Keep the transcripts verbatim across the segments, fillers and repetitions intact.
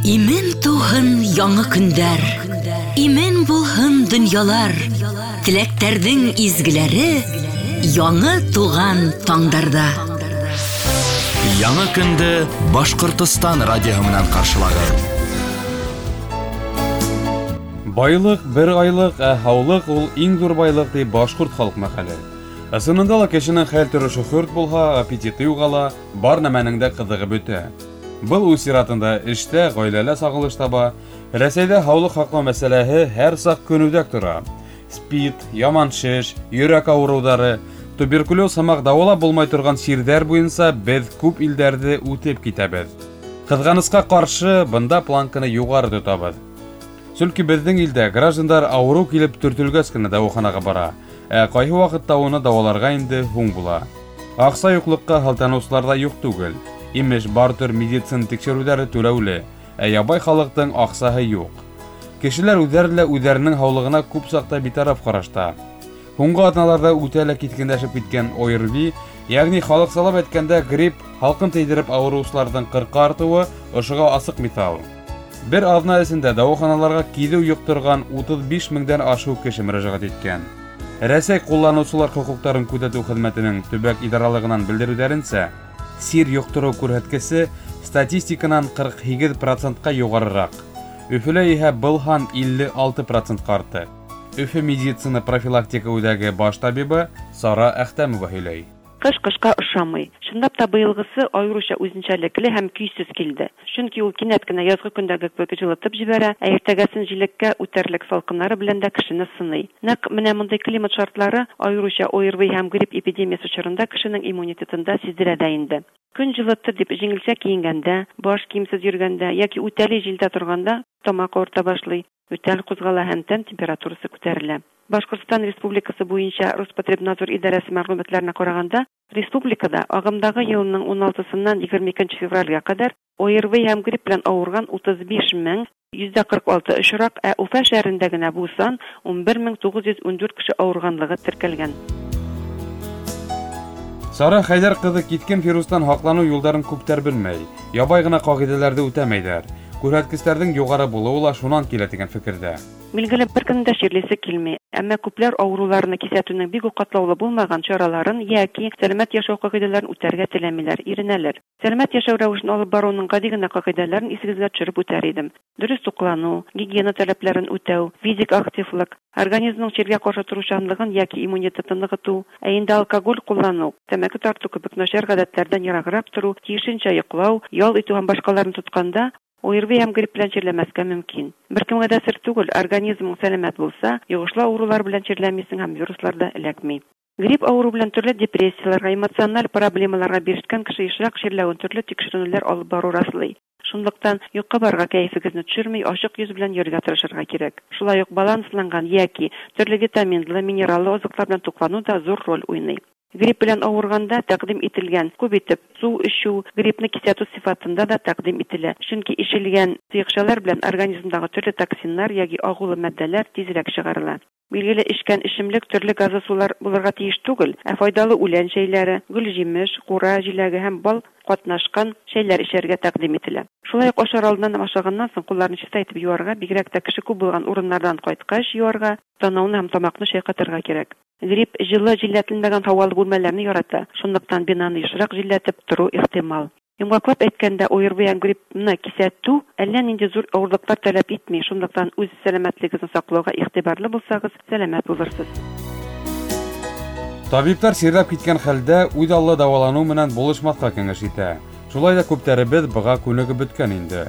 Имен тыуһын яңы көндәр, имен булһын донъялар, теләктәрҙең изгеләре яңы тыуған таңдарҙа. Яңы көндө Башҡортостан радиоһы менән ҡаршылағыҙ. Байлыҡ бер айлыҡ, ә һаулыҡ ул иң ҙур байлыҡ, ти башҡорт халыҡ мәҡәле. Ысынында ла кешенең хәл торошо хөрт булһа, аппетиты юғала, бар нәмәнең дә ҡыҙығы бөтә. Был үҙ сиратында эштә, ғаиләлә сағылыш таба. Рәсәйҙә һаулыҡ һаҡлау мәсьәләһе һәр саҡ көнүҙәк тора. СПИД, яман шеш, йөрәк ауырыуҙары, туберкулез һымаҡ дауалап булмай торған сирҙәр буйынса беҙ күп илдәрҙе үтеп китәбеҙ. Ҡыҙғанысҡа ҡаршы, бында планканы юғары тотабыҙ. Сөнки беҙҙең илдә граждандар ауырыу килеп төртөлгәс кенә дауаханаға бара, ә ҡайһы ваҡытта уны дауаларға инде һуң була. Аҡса юҡлыҡҡа һылтаныусылар ҙа юҡ түгел. Имеш, бар төр медицина тикшереүҙәре түләүле, ә ябай халыҡтың аҡсаһы юҡ. Кешеләр үҙҙәре лә үҙҙәренең һаулығына күп саҡта битараф ҡарашта. Һуңғы аҙналарҙа үтә лә киҫкенләшеп киткән О Р В И, йәғни халыҡсалап әйткәндә грипп, һалҡын тейҙереп ауырыусыларҙың ҡырҡа артыуы ошоға асыҡ миҫал. Бер аҙна эсендә дауаханаларға киҙеү йоҡторған утыҙ биш меңдән ашыу кеше мөрәжәғәт иткән. Рәсәй ҡулланыусылар хоҡуҡтарын күҙәтеү хеҙмәтенең төбәк идаралығынан белдереүҙәренсә, сир йоҡтороу күрһәткесе статистиканан ҡырҡ һигеҙ процентҡа юғарыраҡ. Өфөлә иһә был һан илле алты процентҡа артты. Өфө медицина профилактика үҙәге баш табибы Сара Әхтәмова һөйләй. Ҡыш ҡышҡа оҡшамай. Чынлап та быйылғысы айырыуса үҙенсәлекле һәм көйһөҙ килде. Сөнки ул кинәт кенә яҙғы көндәге кеүек жылытып ебәрә, ә иртәгәсен жиләккә үтәрлек салҡыннары белән дә кешене сыный. Нәҡ менә мондый климат шартлары айырыуса О Р В И һәм грипп эпидемиясы осорында кешенең иммунитетында сиздерә дә инде. Көн жылытты дип җиңелчә киенгәндә, баш киемсез йөргәндә яки үтәли җилдә торганда тамак авырта башлый, ютәл кузгала һәм тән температурасы күтәрелә. Башҡортостан Республикасы буйынса Роспотребнадзор идарәсе мәгълүматларына ҡарағанда, республикада ағымдағы йылының ун алтыһынан егерме икенсе февралгә ҡәҙәр О Р В И һәм грипп белән авырган утыҙ биш мең йөҙҙә ҡырҡ алты осраҡ, ә Уфа шәһәрендә генә бу сан ун бер мең туғыҙ йөҙ ун дүрт кеше авырганлыгы теркәлгән. Сара Хәйҙәр ҡыҙы киҫкен вирустан һаҡланыу юлдарын күптәр белмәй, ябай ғына ҡағиҙәләрҙе үтәмәйҙәр. Күрһәткестәрҙең юғары булыуы ла шунан килә тигән фекерҙә. Билгеле, бер кемдә дә чирлисе килмәй, әмма күпләр авыруларны кисәтүнең бик үк катлаулы булмаган чараларын яки сәламәт яшәү кагыйдәләрен үтәргә теләмиләр, иренәләр. Сәламәт яшәү рәвешен алып барыуның гади генә кагыйдәләрен исегезгә төшереп үтәр идем. Дөрес туклану, гигиена таләпләрен үтәү, физик активлык, организмның чиргә каршы торучанлыгын яки иммунитетын ныгыту, ә инде алкоголь куллану, тәмәке тарту кебек начар гадәтләрдән ераграк тору, тиешенчә йоклау, ял итү һәм башкаларны тотканда О Р В И һәм грипп белән чирләмәскә мөмкин. Бер кемгә дә сер түгел, организмың сәламәт булса, йогышлы авырулар белән чирләмисең һәм вируслар да эләкми. Грипп авыру белән төрле депрессияләргә, эмоциональ проблемаларга бирешкән кеше ешрак чирләвен төрле тикшеренүләр алып бару раслый. Шунлыктан юкка барга кәефегезне төшерми, ачык йөз белән йөрергә тырышырга кирәк. Шулай ук балансланган яки төрле витаминлы, минераллы азыклар белән туклану да зур роль уйный. Грипп белән авырганда тәкъдим ителгән күп итеп су эчү гриппны кисәтү сыйфатында да тәкъдим ителә. Чөнки эчелгән сыекчалар белән организмдагы төрле токсиннар яки агулы матдәләр тизрәк чыгарыла. Билгеле, эчкән эчемлек төрле газлы сулар булырга тиеш түгел, ә файдалы үлән чәйләре, гөл-җимеш, кура җиләге һәм бал катнашкан чәйләр эчәргә тәкъдим ителә. Шулай ук ашар алдыннан һәм ашаганнан соң кулларны чиста итеп юарга, бигрәк тә кеше күп булган урыннардан кайткач юарга, танауны һәм тамакны чайкатырга кирәк. Грипп җылы җилләтелмәгән һавалы бүлмәләрне ярата, шунлыктан бинаны ешрак җилләтеп тору ихтимал. Йомгаклап әйткәндә, О Р В И һәм гриппны кисәтү әллә нинди зур авырлыклар таләп итми, шунлыктан үз сәламәтлегегезне саклауга игътибарлы булсагыз, сәламәт булырсыз. Табиптар сирләп киткән хәлдә үҙ аллы дауаланыу менән булышмаҫҡа кәңәш итә. Шулай да күптәребеҙ быға күнегеп бөткән инде.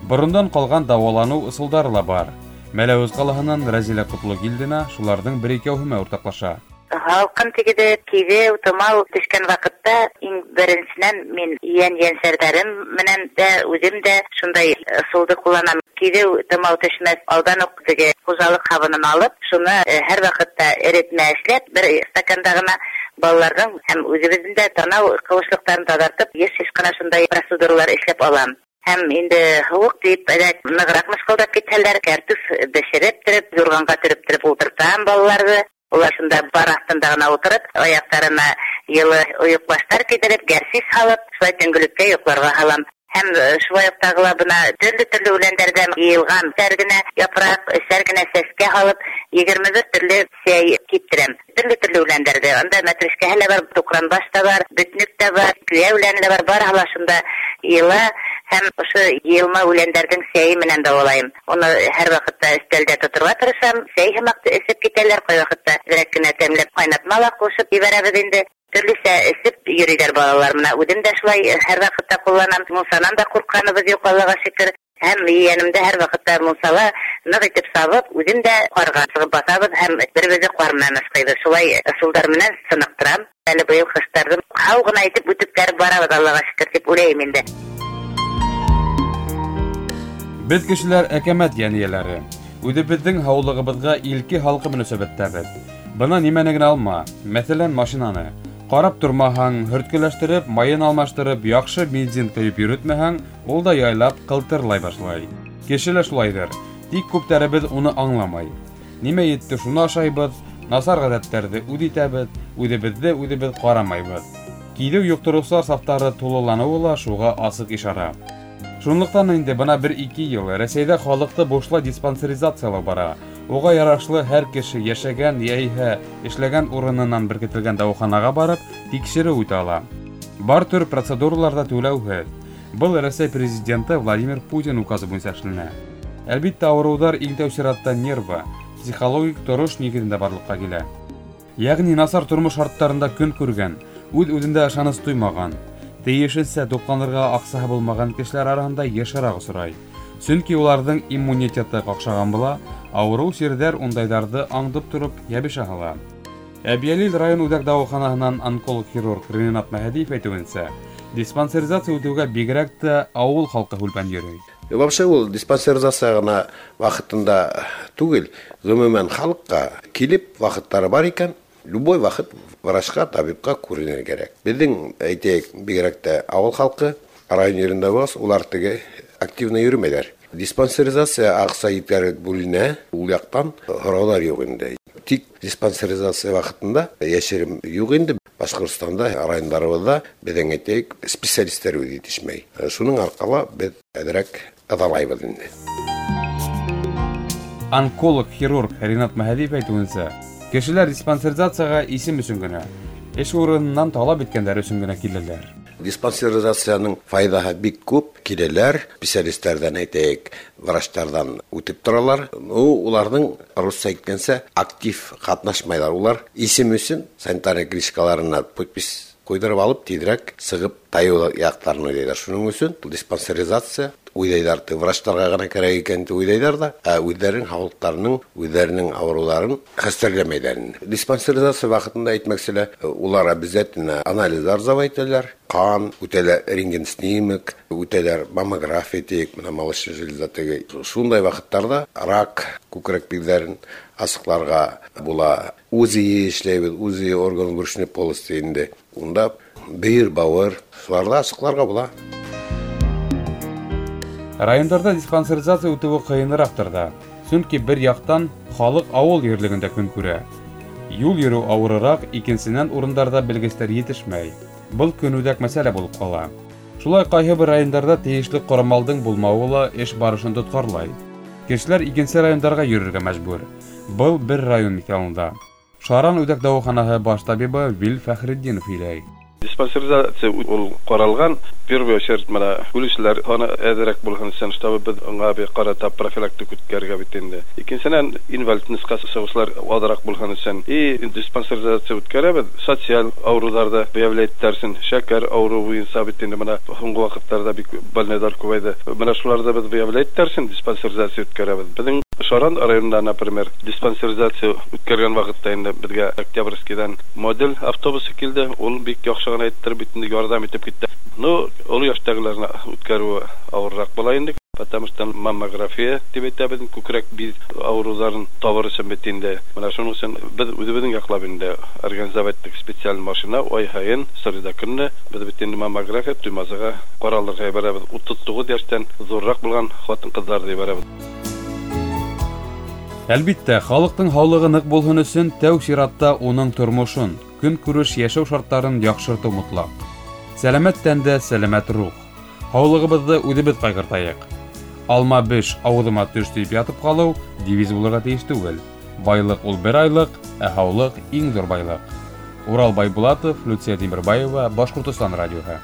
Борондан ҡалған дауаланыу ысулдары ла бар. Мәләүез ҡалаһынан Рәзилә Ҡотлогилдина шуларҙың бер икәүһе менән уртаҡлаша. Һалҡын тигеҙеп, киҙеү, тымау төшкән ваҡытта иң беренсенән мин ейән ейәнсәрҙәрем менән дә үҙем дә шундай ысулды ҡулланам. Киҙеү, тымау төшмәҫ алдан уҡ теге хужалыҡ һабынын алып, шуны һәр ваҡытта эретмә эшләп, бер стаканда ғына балаларҙың һәм үҙебеҙҙең дә танау ҡыуышлыҡтарын таҙартып, йыш-йыш ҡына шундай процедуралар эшләп алам. Һәм инде һыуыҡ тиеп, әҙәк нығыраҡ мышҡылдап китһәләр, кәртүф бешереп төрөп, юрғанға төрөп төрөп ултыртам балаларҙы. Улар шунда бар аҫтында ғына ултырып, аяҡтарына йылы ойоҡбаштар кейҙереп, гәрсис һалып, шулай төнгөлөккә йоҡларға һалам. Һәм шулай уҡ тағы ла бына төрлө-төрлө үләндәрҙән йыйылған өсәр генә япраҡ, өсәр генә сәскә һалып, егерме бер төрлө сәй киптерәм. Төрлө-төрлө үләндәрҙе. Анда мәтрүшкәһе лә бар, туҡранбаш та бар, бөтнөк тә бар, көйә үләне лә бар, барыһы ла шунда йыйыла. Һәм ошо йыйылма үләндәрҙең сәйе менән дауалайым. Уны һәр ваҡытта өҫтәлдә тоторға тырышам. Сәй һымаҡ эсеп китәләр, ҡай ваҡытта әҙерәк кенә тәмләп ҡайнатма ла ҡушып ебәрәбеҙ инде. Төрлөсә эсеп йөрөйҙәр балалар. Мына үҙем дә шулай һәр ваҡытта ҡулланам. Мунсанан да ҡурҡҡаныбыҙ юҡ, Аллаға шөкөр. Һәм ейәнемде һәр ваҡытта мунсала ныҡ итеп сабып, үҙем дә ҡарға сығып баҫабыҙ һәм бер-беребеҙҙе ҡар менән ышҡыйбыҙ. Шулай ысулдар менән сыныҡтырам. Әле быйыл ҡыштарҙы һау ғына итеп үтеп барабыҙ, Аллаға шөкөр, тип уйлайым инде. Беҙ кешеләр әкәмәт йән эйәләре. Үҙебеҙҙең һаулығыбыҙға илке халҡы мөнәсәбәттәбеҙ. Бына нимәне генә алма, мәҫәлән, машинаны. Ҡарап тормаһаң, һөрткөләштереп, майын алмаштырып, яҡшы бензин ҡойоп йөрөтмәһәң, ул да яйлап ҡылтырлай башлай. Кеше лә шулайҙыр. Тик күптәребеҙ уны аңламай. Нимә етте, шуны ашайбыҙ, насар ғәҙәттәрҙе үҙ итәбеҙ, үҙебеҙҙе үҙебеҙ ҡарамайбыҙ. Киҙеү йоҡтороусылар сафтары тулыланыуы ла шуға асыҡ ишара. Шунлыҡтан инде бына бер-ике йыл Рәсәйҙә халыҡты бушлай диспансеризациялау бара. Уға ярашлы һәр кеше йәшәгән йәиһә эшләгән урынынан беркетелгән дауаханаға барып тикшереү үтә ала. Бар төр процедуралар ҙа түләүһеҙ. Был Рәсәй президенты Владимир Путин указы буйынса эшләнә. Әлбиттә, ауырыуҙар иң тәү сиратта нервы, психологик торош нигеҙендә барлыҡҡа килә. Йәғни насар тормош шарттарында көн күргән, үҙ-үҙендә ышаныс тоймаған, тейешенсә туҡланырға аҡсаһы булмаған кешеләр араһында йышыраҡ осрай. Сөнки уларҙың иммунитеты ҡаҡшаған була, ауырыу сирҙәр ундайҙарҙы аңдып тороп йәбешә һала. Әбйәлил район үҙәк дауаханаһынан онколог-хирург Ринат Мәһәдиев әйтеүенсә, диспансеризация үтеүгә бигерәк тә ауыл халҡы һүлпән йөрөй. Вообще ул диспансеризация ғына ваҡытында түгел, ғөмүмән халыҡҡа килеп ваҡыттары бар икән, любой ваҡыт врачҡа, табипҡа күренергә кәрәк. Беҙҙең, әйтәйек, бигерәк тә ауыл халҡы район ерендә булғас, улар теге активно йөрөмәйҙәр. Диспансеризация аҡса еткәреп бүленә, ул яҡтан һорауҙар юҡ инде. Тик диспансеризация ваҡытында йәшерем юҡ инде. Башҡортостанда, райондарыбыҙҙа беҙҙең, әйтәйек, специалистар үҙе етешмәй. Шуның арҡала беҙ әҙерәк ыҙалайбыҙ инде. Онколог-хирург Ринат Мәһәдиев әйтеүенсә, кешеләр диспансеризацияға исем өсөн генә, эш урынынан талап иткәндәр өсөн генә киләләр. Диспансеризацияның файҙаһы бик күп. Киләләр, специалисттәрҙән, әйтәйек, врачтарҙан үтеп торалар. Ну, уларҙың, русса әйткәнсә, актив ҡатнашмайҙар. Улар исем өсөн санитарный книжкаларына подпись ҡуйҙырып алып, тиҙерәк сығып тайыу яҡтарын уйлайҙар. Шуның өсөн диспансеризация уйлайҙар, врачтарға ғына кәрәк икән тип уйлайҙар ҙа, ә үҙҙәренең һаулыҡтарының, үҙҙәренең ауырыуҙарын хәстәрләмәйҙәр инде. Диспансеризация ваҡытында әйтмәксе лә, улар обязательно анализдар сдавать итәләр, ҡан үтәләр, рентген снимок үтәләр, маммография тиек, бына молочная железа теге. Шундай ваҡыттарҙа рак күкрәк биҙҙәрен асыҡларға була. УЗИ эшләйбеҙ, УЗИ орган брюшной полости инде. Унда бөйөр, бауыр, шуларҙы асыҡларға була. Райондарҙа диспансеризация үтеүе ҡыйыныраҡтыр ҙа. Сөнки бер яҡтан халыҡ ауыл ерлегендә көн күрә. Юл йөрөү ауырыраҡ, икенсенән урындарҙа белгестәр етешмәй. Был көнүҙәк мәсьәлә булып ҡала. Шулай ҡайһы бер райондарҙа тейешле ҡорамалдың булмауы ла эш барышын тотҡарлай. Кешеләр икенсе райондарға йөрөргә мәжбүр. Был бер район миҫалында. Шаран үҙәк дауаханаһы баш табибы Вил Фәхретдинов һөйләй. Диспансеризация ул ҡаралған, первый очередь бына үлеүселәр һаны әҙерәк булһын өсөн, чтобы беҙ уңа бер ҡарата профилактика үткәрергә бит инде. Икенсенән, инвалидностьҡа сығыусылар аҙыраҡ булһын өсөн. И диспансеризация үткәрәбеҙ, социаль ауырыуҙарҙы выявлять итәрсен, шәкәр ауырыуы буйынса бит инде бына һуңғы ваҡыттарҙа бик больнойҙар күбәйҙе. Бына шуларҙы беҙ выявлять итәрсен, диспансеризация үткәрәбеҙ. Беҙҙең Шаран районында, например, диспансеризация үткәргән ваҡытта инде беҙгә Октябрьскийҙан модель автобусы килде, ул бик яҡшы ғына иттереп бит инде ярҙам итеп китте. Ну, оло йәштәгеләрне үткәреүе ауырыраҡ була инде, потому что маммография тип әйтәбеҙ, күкрәк биҙ ауырыуҙарын табыр өсөн бит инде. Бына шуның өсөн беҙ үҙебеҙҙең яҡлап инде организовать иттек специаль машина, ай һайын среда көнө беҙ бит инде маммография Туймазыға ҡаралырға ебәрәбеҙ. Утыҙ туғыҙ йәштән ҙурыраҡ булған ҡатын-ҡыҙҙарҙы ебәрәбеҙ. Әлбиттә, халыҡтың һаулығы ныҡ булһын өсөн тәү сиратта уның тормошон, көнкүреш йәшәү шарттарын яҡшыртыу мотлаҡ. Сәләмәт тәндә сәләмәт рух. Һаулығыбыҙҙы үҙебеҙ ҡайғыртайыҡ. Алма беш, ауыҙыма төш тип ятып ҡалыу девиз булырға тейеш түгел. Байлыҡ ул бер айлыҡ, ә һаулыҡ иң ҙур байлыҡ. Урал Байбулатов, Люция Тимербаева, Башҡортостан радиоһы.